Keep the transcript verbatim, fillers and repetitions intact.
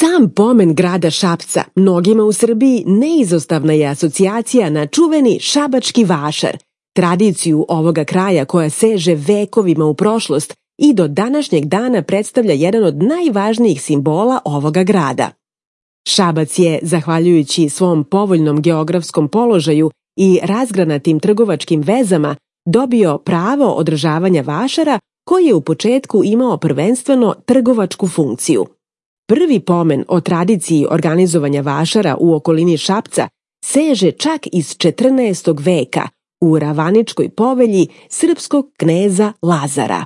Sam pomen grada Šapca mnogima u Srbiji neizostavna je asocijacija na čuveni šabački vašar, tradiciju ovoga kraja koja seže vekovima u prošlost i do današnjeg dana predstavlja jedan od najvažnijih simbola ovoga grada. Šabac je, zahvaljujući svom povoljnom geografskom položaju i razgranatim trgovačkim vezama, dobio pravo održavanja vašara koji je u početku imao prvenstveno trgovačku funkciju. Prvi pomen o tradiciji organizovanja vašara u okolini Šapca seže čak iz četrnaestog veka u Ravaničkoj povelji srpskog kneza Lazara.